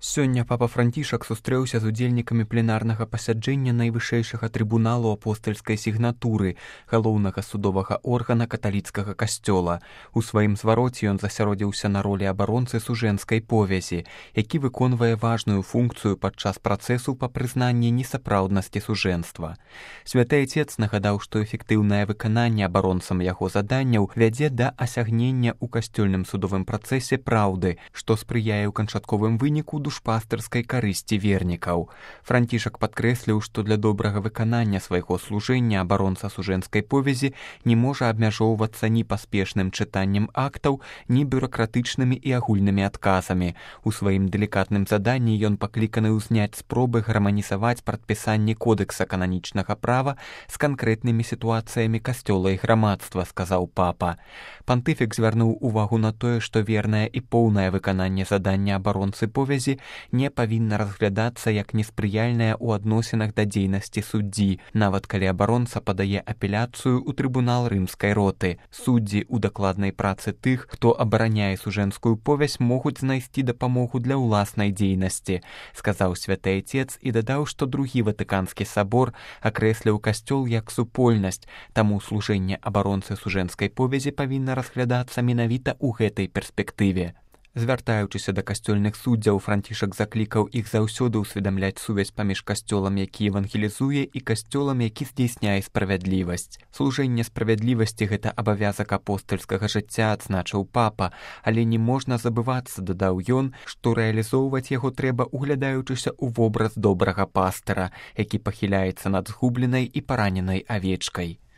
Сёння папа Францішак сустрэўся з удзельнікамі пленарнага пасяджэння найвышэйшага трыбуналу апостальскай сігнатуры, галоўнага судовага органа каталіцкага касцёла. У сваім звароце ён засяродзіўся на ролі абаронцы сужэнскай повязі, які выконвае важную функцыю падчас працэсу па прызнанні несапраўднасці сужэнства. Святы Айцец нагадаў, што эфектыўнае выкананне абаронцам яго заданняў вядзе да асягнення ў касцёльным судовым працэсе праўды, што спрыяе ў канчатковым выніку душпастырскай карысці вернікаў. Францішак падкрэсліў, што для добрага выканання свайго служэння абаронца сужэнскай повязі не можа абмяжоўвацца ні паспешным чытаннем актаў, ні бюракратычнымі і агульнымі адказамі. У сваім далікатным заданні ён пакліканы ўзняць спробы гарманізаваць прадпісанне кодэкса кананічнага права з канкрэтнымі сітуацыямі касцёла і грамадства, сказаў папа. Пантыфік звярнуў увагу на тое, што вернае і поўнае выкананне задання абаронцы повязі не павінна разглядацца як неспрыяльная ў адносінах да дзейнасці суддзі, нават калі абаронца падае апеляцыю ў трыбунал рымскай роты. Суддзі ў дакладнай працы тых, хто абараняе сужэнскую повязь, могуць знайсці дапамогу для ўласнай дзейнасці, сказаў Святы Айцец і дадаў, што другі Ватыканскі сабор акрэсліў касцёл як супольнасць, таму служэнне абаронцы сужэнскай повязі павінна разглядацца менавіта ў гэтай перспектыве. Звяртаючыся да касцёльных суддзяў, Францішак заклікаў іх заўсёды ўсведамляць сувязь паміж касцёлам, які евангелізуе, і касцёлам, які здзейсняе справядлівасць. Служэнне справядлівасці — гэта абавязак апостальскага жыцця, адзначыў папа, але не можна забывацца, дадаў ён, што рэалізоўваць яго трэба, углядаючыся ў вобраз добрага пастыра, які пахіляецца над згубленай і параненай авечкай.